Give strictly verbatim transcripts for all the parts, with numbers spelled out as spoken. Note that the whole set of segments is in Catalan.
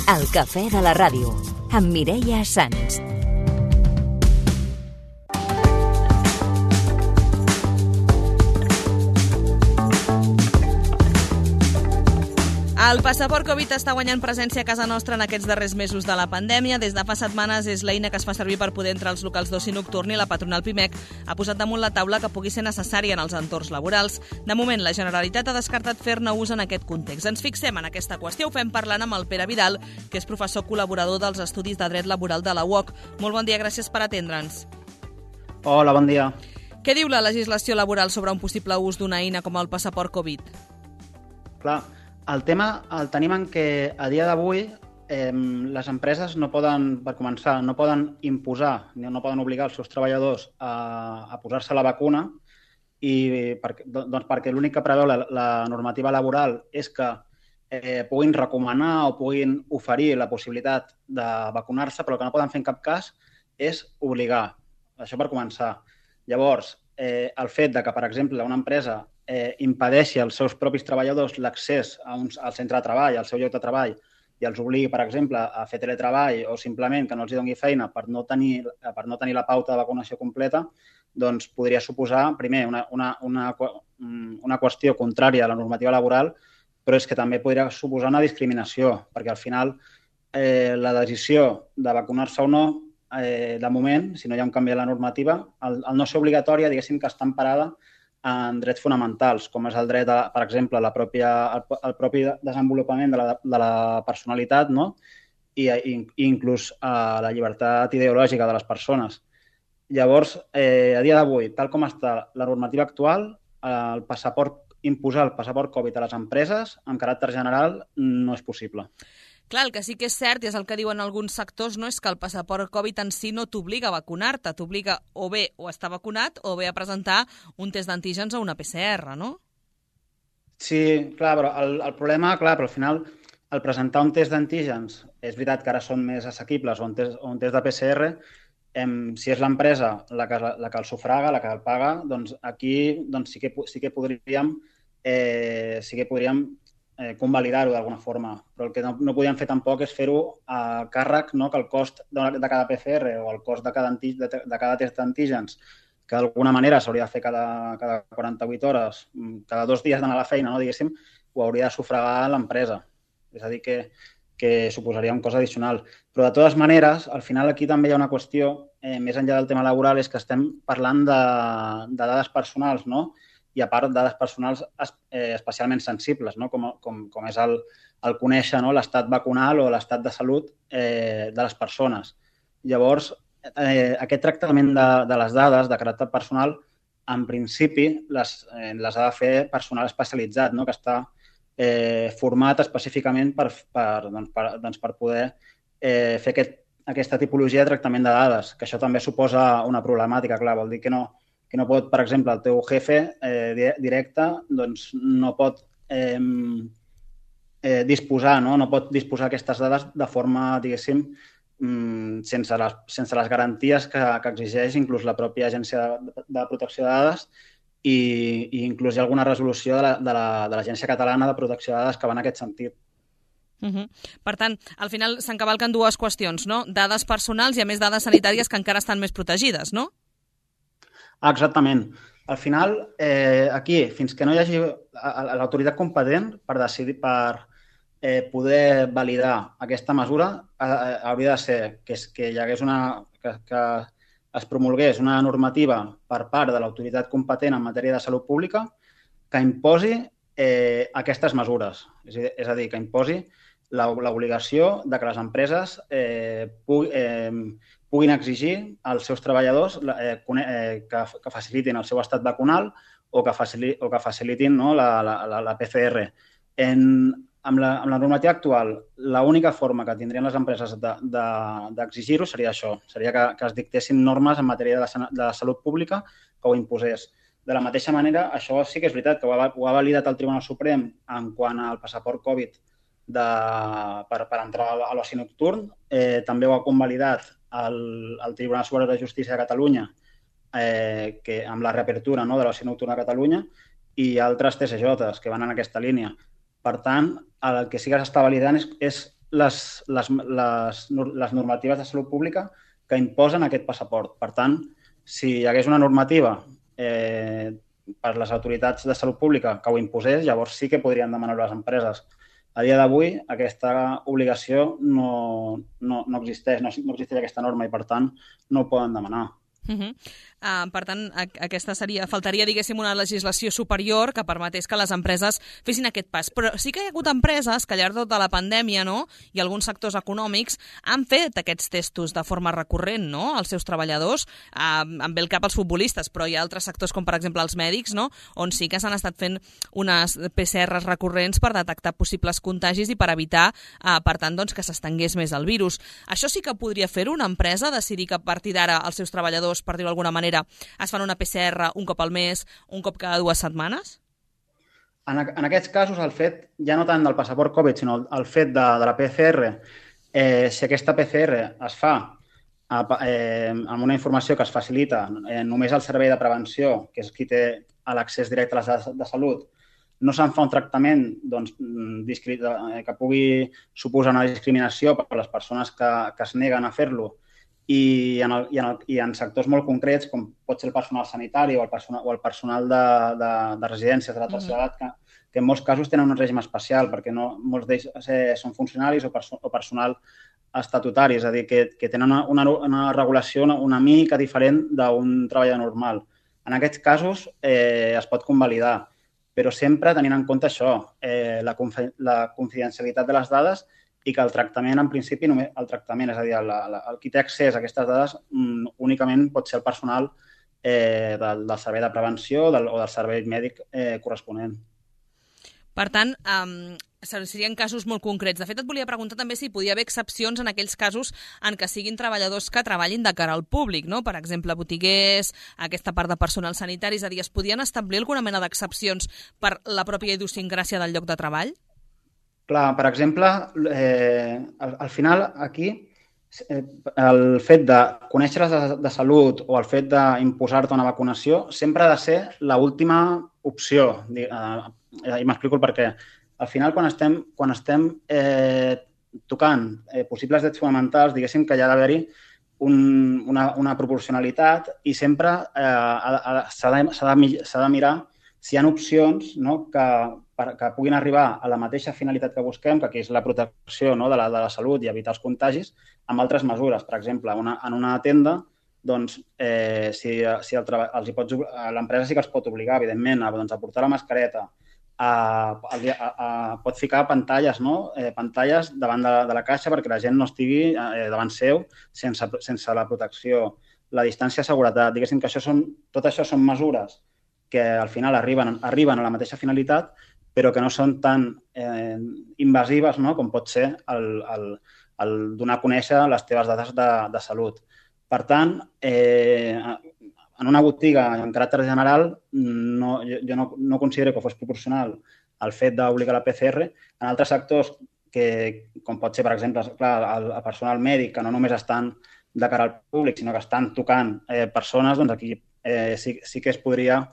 El cafè de la ràdio, amb Mireia Sans. El passaport Covid està guanyant presència a casa nostra en aquests darrers mesos de la pandèmia. Des de fa setmanes és l'eina que es fa servir per poder entrar als locals d'oci nocturn i la patronal Pimec ha posat damunt la taula que pugui ser necessària en els entorns laborals. De moment, la Generalitat ha descartat fer-ne ús en aquest context. Ens fixem en aquesta qüestió, ho fem parlant amb el Pere Vidal, que és professor col·laborador dels Estudis de Dret Laboral de la U O C. Molt bon dia, gràcies per atendre'ns. Hola, bon dia. Què diu la legislació laboral sobre un possible ús d'una eina com el passaport Covid? Clar, el tema el tenim en què a dia d'avui eh, les empreses no poden, per començar, no poden imposar, no poden obligar els seus treballadors a, a posar-se la vacuna i per, doncs perquè l'únic que preveu la, la normativa laboral és que eh, puguin recomanar o puguin oferir la possibilitat de vacunar-se, però el que no poden fer en cap cas és obligar. Això per començar. Llavors, eh, el fet de que, per exemple, una empresa eh, impedeixi als seus propis treballadors l'accés a un, al centre de treball, al seu lloc de treball, i els obligui, per exemple, a fer teletreball o simplement que no els hi doni feina per no tenir, per no tenir la pauta de vacunació completa, doncs podria suposar, primer, una, una, una, una qüestió contrària a la normativa laboral, però és que també podria suposar una discriminació, perquè al final eh, la decisió de vacunar-se o no, eh, de moment, si no hi ha un canvi a la normativa, el, el no ser obligatòria, diguéssim que està emparada en drets fonamentals, com és el dret, a, per exemple, la pròpia, el, el propi desenvolupament de la, de la personalitat, no? I, i inclús a la llibertat ideològica de les persones. Llavors, eh, a dia d'avui, tal com està la normativa actual, el passaport, imposar el passaport Covid a les empreses amb caràcter general no és possible. Clar, el que sí que és cert, i és el que diuen alguns sectors, no és que el passaport Covid en si no t'obliga a vacunar-te, t'obliga o bé o a estar vacunat o bé a presentar un test d'antígens o una P C R, no? Sí, clar, però el, el problema, clar, però al final el presentar un test d'antígens, és veritat que ara són més assequibles, o un test, o un test de P C R, em, si és l'empresa la que, la que el sufraga, la que el paga, doncs aquí doncs sí, que, sí que podríem, eh, sí que podríem Eh, convalidar-ho d'alguna forma, però el que no, no podíem fer tampoc és fer-ho a càrrec, no? Que el cost de, de cada P C R o el cost de cada, anti, de, de cada test d'antígens, que d'alguna manera s'hauria de fer cada, cada quaranta-vuit hores, cada dos dies d'anar a la feina, no? Diguéssim, ho hauria de sufragar l'empresa. És a dir, que, que suposaria un cost addicional. Però de totes maneres, al final aquí també hi ha una qüestió, eh, més enllà del tema laboral, és que estem parlant de, de dades personals, no? I a part dades personals eh, especialment sensibles, no? com, com, com és el, el conèixer, no? L'estat vacunal o l'estat de salut eh, de les persones. Llavors, eh, aquest tractament de, de les dades de caràcter personal, en principi, les, eh, les ha de fer personal especialitzat, no? Que està eh, format específicament per, per, doncs, per, doncs, per poder eh, fer aquest, aquesta tipologia de tractament de dades, que això també suposa una problemàtica, clar, vol dir que no que no pot, per exemple, el teu jefe eh, directe doncs, no pot eh, eh, disposar, no? no pot disposar aquestes dades de forma, diguéssim, sense les, sense les garanties que, que exigeix inclús la pròpia Agència de, de Protecció de Dades i, i inclús hi ha alguna resolució de l'Agència la, Catalana de Protecció de Dades que va en aquest sentit. Uh-huh. Per tant, al final s'encavalquen dues qüestions, no? Dades personals i, a més, dades sanitàries que encara estan més protegides, no? Exactament. Al final, eh, aquí, fins que no hi hagi l'autoritat competent per decidir, per eh, poder validar aquesta mesura, eh, hauria de ser que, que hi hagués una, que, que es promulgués una normativa per part de l'autoritat competent en matèria de salut pública que imposi eh, aquestes mesures. És, és a dir, que imposi l'obligació de que les empreses eh, pugui, eh, puguin exigir als seus treballadors eh, que, que facilitin el seu estat vacunal o que, facili, o que facilitin, no, la, la, la P C R. En, amb, la, amb la normativa actual, l'única forma que tindrien les empreses d'exigir-ho de, de, seria això, seria que, que es dictessin normes en matèria de, de salut pública que ho imposés. De la mateixa manera, això sí que és veritat, que ho ha, ho ha validat el Tribunal Suprem en quant al passaport Covid de, per, per entrar a l'oci nocturn. Eh, també ho ha convalidat el, el Tribunal Superior de Justícia de Catalunya eh, que, amb la reapertura, no, de l'oci nocturn a Catalunya i altres T C Js que van en aquesta línia. Per tant, el que sí que s'està validant és, és les, les, les, les normatives de salut pública que imposen aquest passaport. Per tant, si hi hagués una normativa eh, per les autoritats de salut pública que ho imposés, llavors sí que podrien demanar-ho les empreses. A dia d'avui, aquesta obligació no, no, no existeix, no, no existeix aquesta norma i, per tant, no ho poden demanar. Uh -huh. uh, per tant, aquesta seria, faltaria, diguéssim, una legislació superior que permetés que les empreses fessin aquest pas. Però sí que hi ha hagut empreses que al llarg de tota la pandèmia, no?, i alguns sectors econòmics han fet aquests testos de forma recurrent, no?, als seus treballadors. Uh, em ve el cap els futbolistes, però hi ha altres sectors com, per exemple, els mèdics, no?, on sí que s'han estat fent unes P C Rs recurrents per detectar possibles contagis i per evitar, uh, per tant, doncs, que s'estengués més el virus. Això sí que podria fer-ho una empresa, decidir que a partir d'ara els seus treballadors, per dir-ho d'alguna manera, es fan una P C R un cop al mes, un cop cada dues setmanes? En, en aquests casos, el fet, ja no tant del passaport Covid, sinó el, el fet de, de la P C R, eh, si aquesta P C R es fa eh, amb una informació que es facilita eh, només al servei de prevenció, que és qui té l'accés directe a les dades de salut, no se'n fa un tractament doncs, que pugui suposar una discriminació per les persones que, que es neguen a fer-lo, I en, el, i, en el, i en sectors molt concrets, com pot ser el personal sanitari o el personal, o el personal de, de, de residències de la tercera edat, que, que en molts casos tenen un règim especial, perquè no, molts d'ells eh, són funcionaris o, perso o personal estatutari, és a dir, que, que tenen una, una, una regulació una, una mica diferent d'un treballador normal. En aquests casos eh, es pot convalidar, però sempre tenint en compte això, eh, la, la confidencialitat de les dades i que el tractament, en principi, només el tractament, és a dir, el, el, el qui té accés a aquestes dades mm, únicament pot ser el personal eh, del, del servei de prevenció del, o del servei mèdic eh, corresponent. Per tant, um, serien casos molt concrets. De fet, et volia preguntar també si podia haver excepcions en aquells casos en què siguin treballadors que treballin de cara al públic, no? Per exemple, botiguers, aquesta part de personal sanitari, és a dir, es podien establir alguna mena d'excepcions per la pròpia idiosincràsia del lloc de treball? Clar, per exemple, eh, al, al final aquí eh, el fet de conèixer les de, de salut o el fet d'imposar-te una vacunació sempre ha de ser l'última opció. Eh, I m'explico el per què. Al final, quan estem, quan estem eh, tocant eh, possibles drets fonamentals, diguéssim que hi ha d'haver-hi un, una, una proporcionalitat i sempre eh, s'ha de, de, de mirar si hi ha opcions, no, que, per, que puguin arribar a la mateixa finalitat que busquem, que aquí és la protecció, no, de, la, de la salut i evitar els contagis, amb altres mesures. Per exemple, una, en una tenda, doncs, eh, si, si l'empresa sí que els pot obligar, evidentment, a, doncs, a portar la mascareta, a, a, a, a, pot ficar pantalles, no? eh, pantalles davant de, de la caixa perquè la gent no estigui eh, davant seu sense, sense la protecció, la distància de seguretat. Diguéssim que això són, tot això són mesures que al final arriben, arriben a la mateixa finalitat, però que no són tan eh, invasives, no?, com pot ser el, el, el donar a conèixer les teves dades de, de salut. Per tant, eh, en una botiga en caràcter general, no, jo, jo no, no considero que fos proporcional el fet d'obligar la P C R. En altres sectors, que, com pot ser, per exemple, clar, el, el personal mèdic, que no només estan de cara al públic, sinó que estan tocant eh, persones, doncs aquí eh, sí, sí que es podria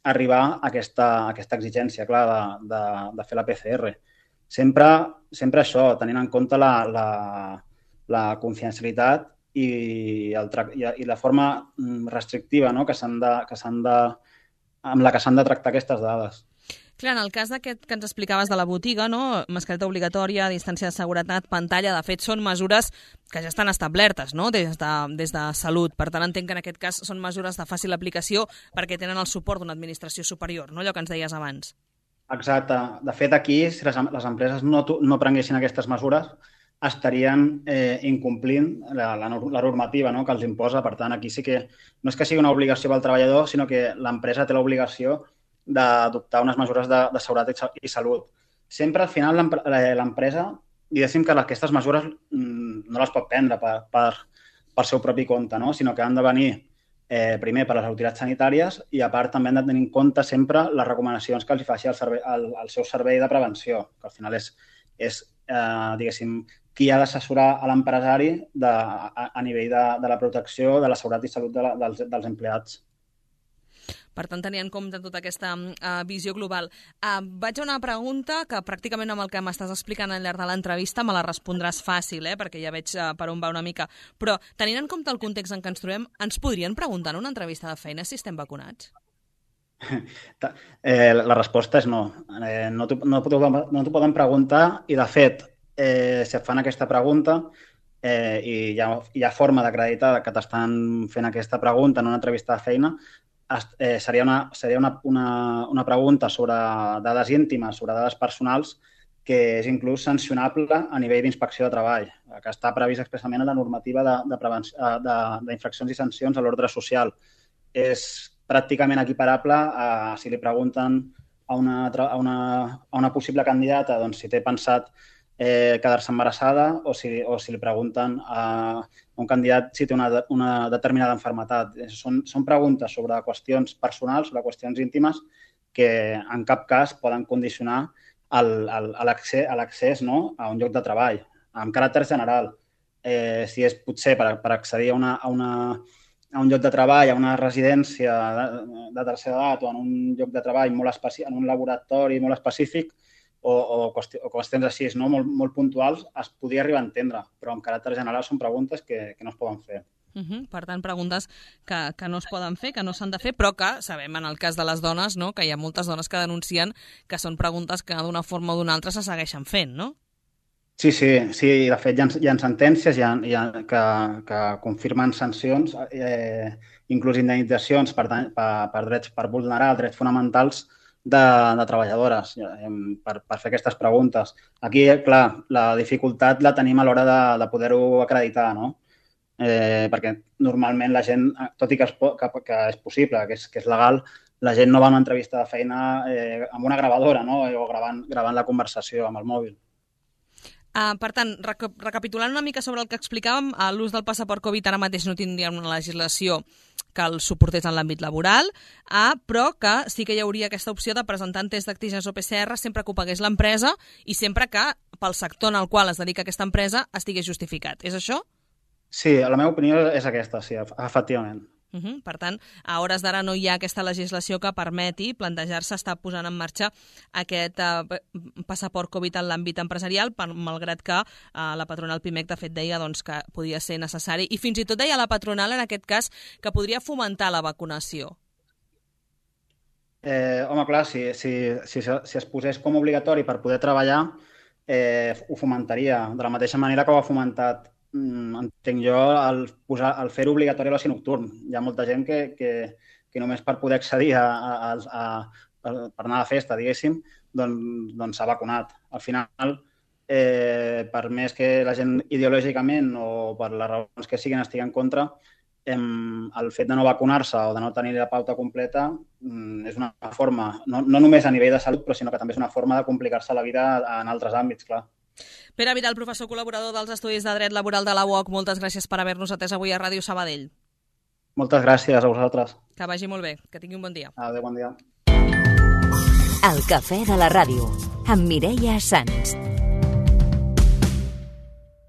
arribar a aquesta, a aquesta exigència, clar, de, de, de fer la P C R. Sempre, sempre això, tenint en compte la, la, la confidencialitat i, el, i, i la forma restrictiva, no?, que s'han de, que s'han de, amb la que s'han de tractar aquestes dades. Clar, en el cas d'aquest que ens explicaves de la botiga, no? Mascareta obligatòria, distància de seguretat, pantalla, de fet, són mesures que ja estan establertes, no?, des de, des de Salut. Per tant, entenc que en aquest cas són mesures de fàcil aplicació perquè tenen el suport d'una administració superior, no?, allò que ens deies abans. Exacte. De fet, aquí, si les, les empreses no, no prenguessin aquestes mesures, estarien eh, incomplint la, la, la normativa, no?, que els imposa. Per tant, aquí sí que no és que sigui una obligació pel treballador, sinó que l'empresa té l'obligació d'adoptar unes mesures de, de seguretat i salut. Sempre, al final, l'empresa, diguéssim que aquestes mesures no les pot prendre per, per, per seu propi compte, no?, sinó que han de venir eh, primer per les autoritats sanitàries i, a part, també han de tenir en compte sempre les recomanacions que els faci el, servei, el, el seu servei de prevenció, que al final és, és eh, diguéssim, qui ha d'assessorar a l'empresari a, a nivell de, de la protecció, de la seguretat i salut de la, dels, dels empleats. Per tant, tenir en compte tota aquesta uh, visió global. Uh, vaig a una pregunta que pràcticament amb el que m'estàs explicant al llarg de l'entrevista me la respondràs fàcil, eh? Perquè ja veig uh, per on va una mica. Però, tenint en compte el context en què ens trobem, ens podrien preguntar en una entrevista de feina si estem vacunats? Eh, la resposta és no. Eh, no t'ho no no poden preguntar i, de fet, eh, si et fan aquesta pregunta eh, i hi ha, hi ha forma d'acreditar que t'estan fent aquesta pregunta en una entrevista de feina, eh, seria, una, seria una, una, una pregunta sobre dades íntimes, sobre dades personals, que és inclús sancionable a nivell d'inspecció de treball, que està previst expressament en la normativa d'infraccions i sancions a l'ordre social. És pràcticament equiparable a si li pregunten a una, a una, a una possible candidata doncs, si té pensat eh, quedar-se embarassada o si, o si li pregunten a un candidat si té una, una determinada malaltia. Són, són preguntes sobre qüestions personals, sobre qüestions íntimes, que en cap cas poden condicionar l'accés no? a un lloc de treball, amb caràcter general. Eh, si és potser per, per accedir a, una, a, una, a un lloc de treball, a una residència de, de tercera edat o en un lloc de treball molt específic, en un laboratori molt específic o, o, qüestions, o qüestions així no? molt, molt puntuals, es podria arribar a entendre, però en caràcter general són preguntes que, que no es poden fer. Uh -huh. Per tant, preguntes que, que no es poden fer, que no s'han de fer, però que sabem en el cas de les dones no? que hi ha moltes dones que denuncien que són preguntes que d'una forma o d'una altra se segueixen fent, no? Sí, sí, sí. De fet, hi ha, hi ha sentències hi ha, hi ha, que, que confirmen sancions, eh, inclús indemnitzacions per, per, per, drets, per vulnerar drets fonamentals de, de treballadores eh, per, per fer aquestes preguntes. Aquí, clar, la dificultat la tenim a l'hora de, de poder-ho acreditar, no? Eh, perquè normalment la gent, tot i que és, que, que és possible, que és, que és legal, la gent no va a una entrevista de feina eh, amb una gravadora no? o gravant, gravant la conversació amb el mòbil. Uh, per tant, rec recapitulant una mica sobre el que explicàvem, l'ús del passaport Covid ara mateix no tindria una legislació que el suportés en l'àmbit laboral, uh, però que sí que hi hauria aquesta opció de presentar test d'antígens o P C R sempre que ho pagués l'empresa i sempre que pel sector en el qual es dedica aquesta empresa estigués justificat. És això? Sí, la meva opinió és aquesta, sí, efectivament. Uh -huh. Per tant, a hores d'ara no hi ha aquesta legislació que permeti plantejar-se estar posant en marxa aquest uh, passaport Covid en l'àmbit empresarial, per, malgrat que uh, la patronal Pimec de fet deia doncs, que podia ser necessari i fins i tot deia la patronal en aquest cas que podria fomentar la vacunació. Eh, home, clar, si, si, si, si es posés com obligatori per poder treballar, eh, ho fomentaria, de la mateixa manera que ho ha fomentat entenc jo, el, el fer-ho obligatori a l'oci nocturn. Hi ha molta gent que, que, que només per poder accedir a, a, a, a, per anar a la festa, diguéssim, doncs, doncs s'ha vacunat. Al final, eh, per més que la gent ideològicament o per les raons que siguin estigui en contra, eh, el fet de no vacunar-se o de no tenir la pauta completa eh, és una forma, no, no només a nivell de salut, però sinó que també és una forma de complicar-se la vida en altres àmbits, clar. Pere Vidal, professor col·laborador dels Estudis de Dret Laboral de la U O C, moltes gràcies per haver-nos atès avui a Ràdio Sabadell. Moltes gràcies a vosaltres. Que vagi molt bé, que tingui un bon dia. Adéu, bon dia. El cafè de la ràdio, amb Mireia Sans.